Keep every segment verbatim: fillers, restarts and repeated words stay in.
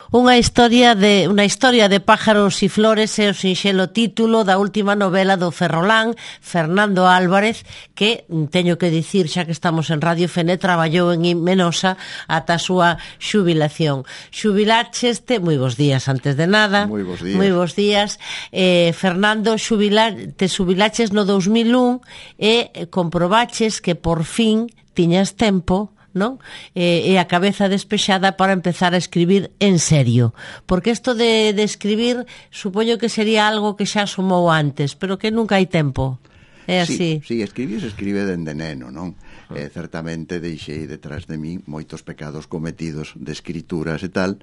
Unha historia de unha historia de pájaros e flores é o sinxelo título da última novela do ferrolán Fernando Álvarez, que teño que dicir, xa que estamos en Radio Fene, traballou en Menosa ata a súa xubilación. Xubilaxeste, moi bons días antes de nada. Moi bons días. Moi bons días. Eh, Fernando, xubila, te xubilaches no dos mil un e comprobaches que por fin tiñas tempo, non? E, e a cabeza despexada para empezar a escribir en serio, porque isto de, de escribir supoño que sería algo que xa asomou antes, pero que nunca hai tempo. É así. Sí, sí, escribir se escribe dende neno, non? Eh, certamente deixei detrás de mí moitos pecados cometidos de escrituras e tal,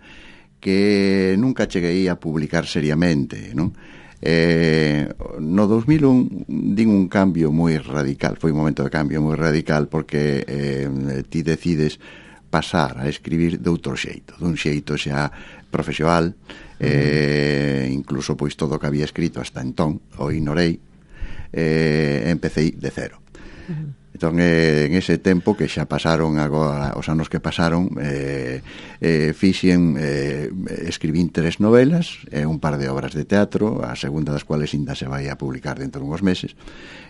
que nunca cheguei a publicar seriamente, non? Eh, no dos mil un din un cambio moi radical, foi un momento de cambio moi radical, porque eh, ti decides pasar a escribir de outro xeito, dun xeito xa profesional, eh, incluso pois todo o que había escrito hasta entón o ignorei, eh, empecéi de cero. Uh-huh. Entón, eh, en ese tempo que xa pasaron agora, os anos que pasaron, eh, eh, fixen, eh, escribín tres novelas e eh, un par de obras de teatro, a segunda das cuales ainda se vai a publicar dentro de uns meses.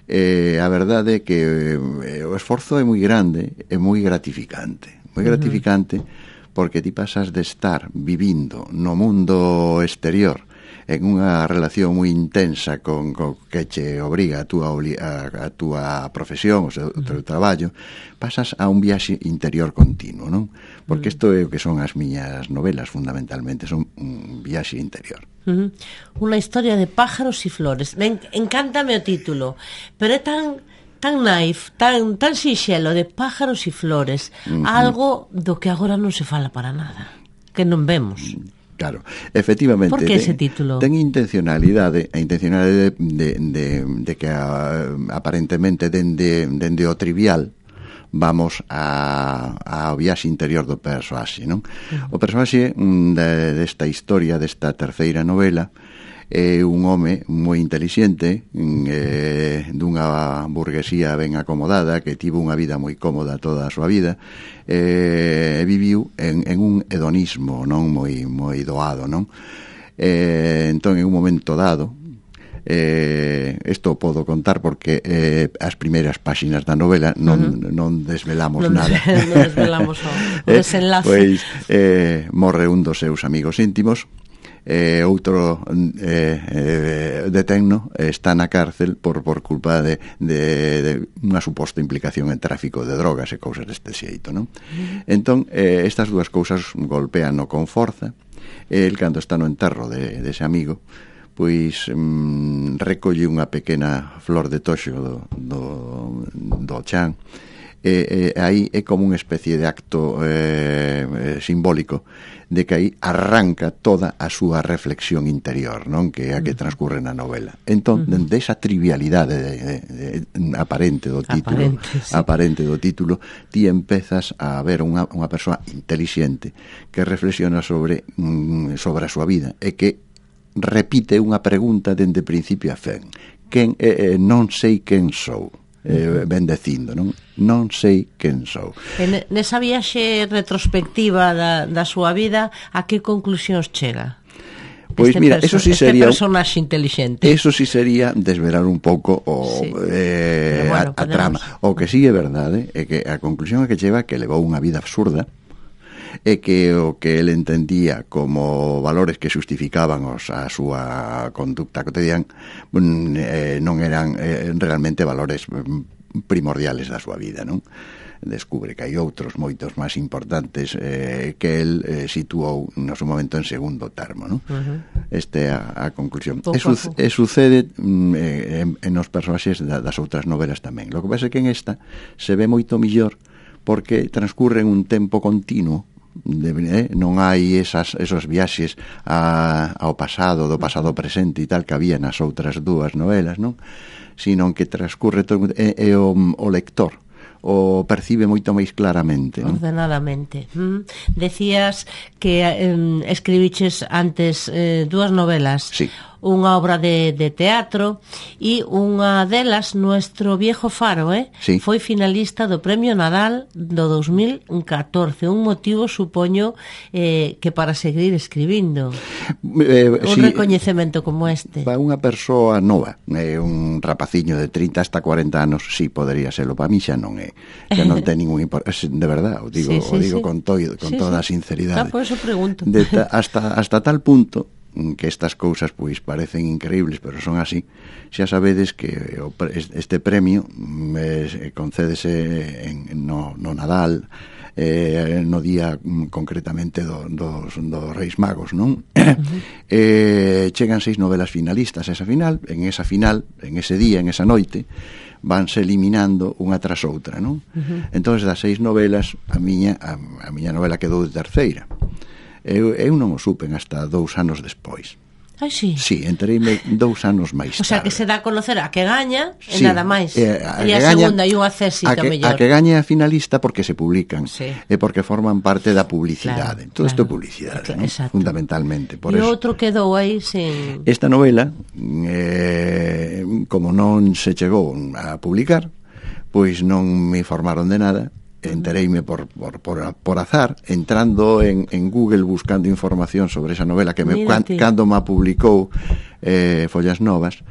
Eh, a verdade é que eh, o esforzo é moi grande e moi gratificante, moi gratificante, uh-huh. porque ti pasas de estar vivindo no mundo exterior en unha relación moi intensa con, con que che obriga a túa, a, a túa profesión, o seu teu traballo, pasas a un viaxe interior continuo, non? Porque isto é o que son as miñas novelas, fundamentalmente, son un viaxe interior. Uh-huh. Unha historia de pájaros e flores. Me encántame o título, pero é tan tan naif, tan, tan sinxelo, de pájaros e flores, uh-huh. algo do que agora non se fala para nada, que non vemos. Claro, efectivamente. Por que ese título? Ten intencionalidade, a intencionalidade de, de, de que a, aparentemente dende, dende o trivial vamos a, ao viaxe interior do persoaxe, non? Uh-huh. O persoaxe de, desta historia, desta terceira novela, é un home moi intelixente, eh, dunha burguesía ben acomodada, que tivo unha vida moi cómoda toda a súa vida, e eh, viviu en, en un hedonismo non moi moi doado, non? Eh, entón, en un momento dado, eh, isto podo contar porque eh, as primeiras páxinas da novela non, uh-huh. non desvelamos non, nada. Non desvelamos o, o desenlace. Pois eh, morre un dos seus amigos íntimos, Eh, outro eh, eh, detenno está na cárcel por, por culpa de, de, de unha suposta implicación en tráfico de drogas e cousas deste xeito, non? Uh-huh. Entón, eh, estas dúas cousas golpean con forza, e el, cando está no enterro de, de ese amigo, pois mm, recolle unha pequena flor de toxo do, do, do chan, e, e aí é como unha especie de acto eh, simbólico de que aí arranca toda a súa reflexión interior, non? Que é a que transcurre na novela. Entón, uh-huh. dende esa trivialidade de, de, de, aparente do título, aparente, sí. aparente do título, ti empezas a ver unha, unha persoa intelixente que reflexiona sobre, mm, sobre a súa vida e que repite unha pregunta dende principio a fin. Quen, eh, eh, non sei quen sou. Eh, ben dicindo, non? Non sei quen sou. En, nesa viaxe retrospectiva da, da súa vida, a que conclusións chega? Pois este mira, eso sí sería este personaxe inteligente. Eso sí sería desvelar un pouco o sí. eh, bueno, a, a trama. O que sí é verdade é que a conclusión é que chega que levou unha vida absurda, e que o que ele entendía como valores que justificaban os, a súa conducta cotidiana eh, non eran eh, realmente valores primordiales da súa vida, non? Descubre que hai outros moitos máis importantes eh, que el eh, situou no seu momento en segundo termo, non? Uh-huh. Este é a, a conclusión. E, su, e sucede mm, en, en os personaxes da, das outras novelas tamén. Lo que pasa é que en esta se ve moito millor porque transcurre en un tempo continuo. De, eh, non hai esas, esos viaxes a, ao pasado, do pasado presente e tal que había nas outras dúas novelas, non? Sino que transcurre todo, e, e o, o lector o percibe moito máis claramente, non? Ordenadamente. Mm. Decías que eh, escribiches antes eh, dúas novelas. Sí. unha obra de, de teatro, e unha delas, Nuestro viejo faro, eh? Sí. Foi finalista do Premio Nadal do dos mil catorce. Un motivo, supoño, eh, que para seguir escribindo. Eh, un sí, recoñecemento como este. Para unha persoa nova, eh, un rapaciño de trinta hasta cuarenta anos, sí, podería serlo. Para mí xa non é, xa non ten ningún importancia, de verdad, o digo, Sí, sí, o digo sí. con, to, con Sí, toda a sí. sinceridade. Ah, por eso pregunto. De ta, hasta, hasta tal punto que estas cousas pois parecen increíbles, pero son así. Xa sabedes que o, este premio eh, concédese en, no, no Nadal, eh, no día concretamente do, dos, dos Reis Magos, non? Uh-huh. eh, chegan seis novelas finalistas a esa final, en esa final, en ese día, en esa noite, vanse eliminando unha tras outra, non? Uh-huh. Entón, das seis novelas, a miña, a, a miña novela quedou de terceira. Eu, eu non o supen hasta dous anos despois. Ai, sí. Sí, entereime dous anos máis tarde. O sea, que se dá a conocer a que gaña sí, e nada máis. Eh, a e a gaña, segunda e unha césita a que, mellor. A que gaña a finalista porque se publican, sí. e porque forman parte da publicidade. Claro, Todo isto claro. é publicidade, Claro, ¿no? Fundamentalmente. Por e eso, outro quedou aí sin... esta novela, eh, como non se chegou a publicar, pois non me informaron de nada. Entereime por, por, por, por azar, entrando en, en Google buscando información sobre esa novela que me, can, cando me publicou eh, Follas Novas,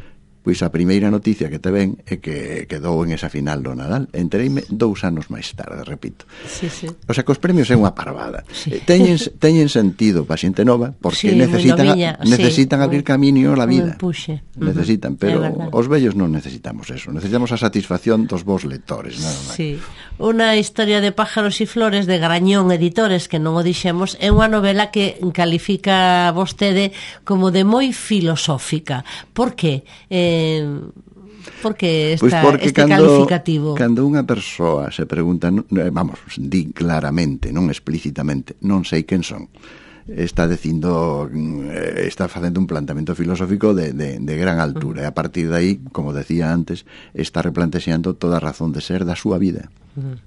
pois a primeira noticia que te ven é que quedou en esa final do Nadal. Entereime dous anos máis tarde, repito. Sí, sí. O sea, que os premios é unha parvada. Sí. Teñen, teñen sentido para xente nova, porque sí, necesitan, miña, necesitan sí, abrir camiño a vida. Uh-huh. Necesitan, pero os vellos non necesitamos eso. Necesitamos a satisfacción dos vos lectores, nada máis. Sí. Unha historia de pájaros e flores de Grañón Editores, que non o dixemos, é unha novela que califica vostede como de moi filosófica. Por que? Eh, porque esta, pues porque este cando, calificativo? Cando unha persoa se pregunta, vamos, di claramente, non explícitamente, non sei quen son, está dicindo, está facendo un planteamento filosófico de, de, de gran altura, uh-huh. e a partir de aí, como decía antes, está replanteando toda a razón de ser da súa vida. Uh-huh.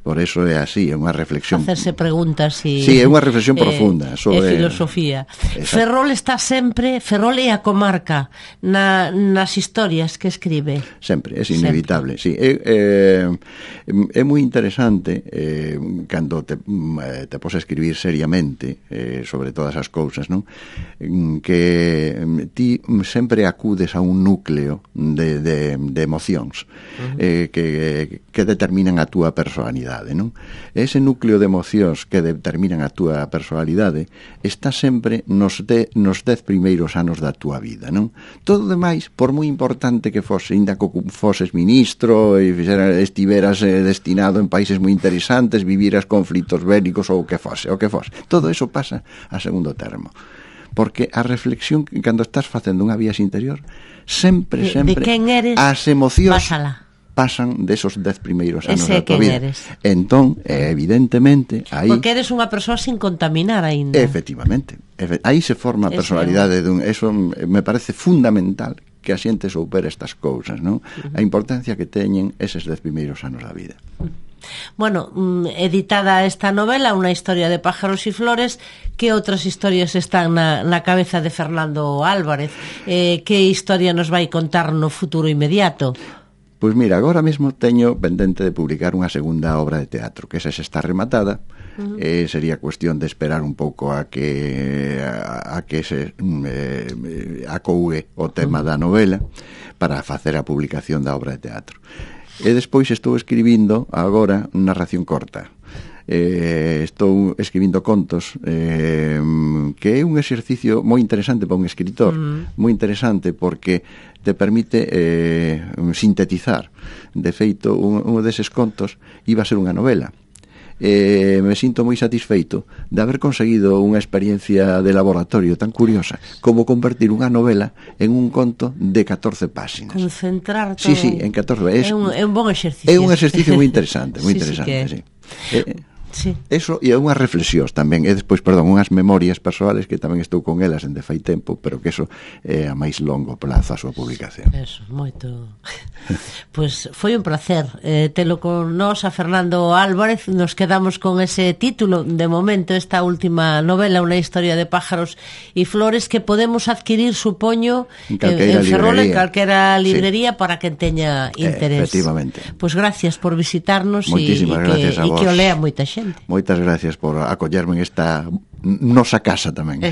Por eso é así, é unha reflexión. Hacerse preguntas e... Sí, é unha reflexión eh, profunda. É filosofía. Exacto. Ferrol está sempre, Ferrol é a comarca na, nas historias que escribe. Sempre, é inevitable, sempre. Sí. É, é, é moi interesante eh, cando te, te pos a escribir seriamente eh, sobre todas as cousas, non? Que ti sempre acudes a un núcleo de, de, de emocións uh-huh. eh, que, que determinan a túa personalidade. Non? Ese núcleo de emocións que determinan a túa personalidade está sempre nos, de, nos dez primeiros anos da túa vida, non? Todo demais, por moi importante que fose, ainda que foses ministro e estiveras eh, destinado en países moi interesantes, viviras conflitos bélicos ou o que fose, o que fose, todo eso pasa a segundo termo, porque a reflexión cando estás facendo unha viaxe interior sempre, sempre de quen eres, as emocións pásala. Pasan desos dez primeiros anos Ese da tua vida. Eres. Entón, evidentemente, aí... Porque eres unha persoa sin contaminar aínda. Efectivamente. Efe, aí se forma a personalidade dun... Eso me parece fundamental que a xente soupera estas cousas, non? Uh-huh. A importancia que teñen eses dez primeiros anos da vida. Bueno, editada esta novela, Unha historia de pájaros e flores, que outras historias están na, na cabeza de Fernando Álvarez? Eh, que historia nos vai contar no futuro inmediato? Pois mira, agora mesmo teño pendente de publicar unha segunda obra de teatro, que esa xa está rematada. Uh-huh. eh, sería cuestión de esperar un pouco a que a, a que se eh, acougue o tema uh-huh. da novela para facer a publicación da obra de teatro. E despois estou escribindo agora narración corta. Eh, estou escribindo contos eh, que é un exercicio moi interesante para un escritor, uh-huh. moi interesante porque te permite eh, sintetizar. De feito, un, un deses contos iba a ser unha novela. Eh, me sinto moi satisfeito de haber conseguido unha experiencia de laboratorio tan curiosa como convertir unha novela en un conto de catorce páxinas. Concentrar todo. Sí, sí, en catorce. É un, é un bon exercicio. É un exercicio moi interesante, moi sí, interesante, sí. sí. Eh, Sí. Eso e unhas reflexións tamén, e despois, perdón, unhas memorias persoales que tamén estou con elas en de fai tempo, pero que eso é a máis longo plazo a súa publicación. Eso, moito. Pois pues foi un placer eh, telo con nós a Fernando Álvarez. Nos quedamos con ese título de momento, esta última novela, Unha historia de pájaros e flores, que podemos adquirir, supoño, en, en Ferrol, en calquera librería, sí, para que teña interés. Eh, efectivamente. Pois pues gracias por visitarnos e que, que o lea moita xente. Moitas gracias por acollerme en esta nosa casa tamén.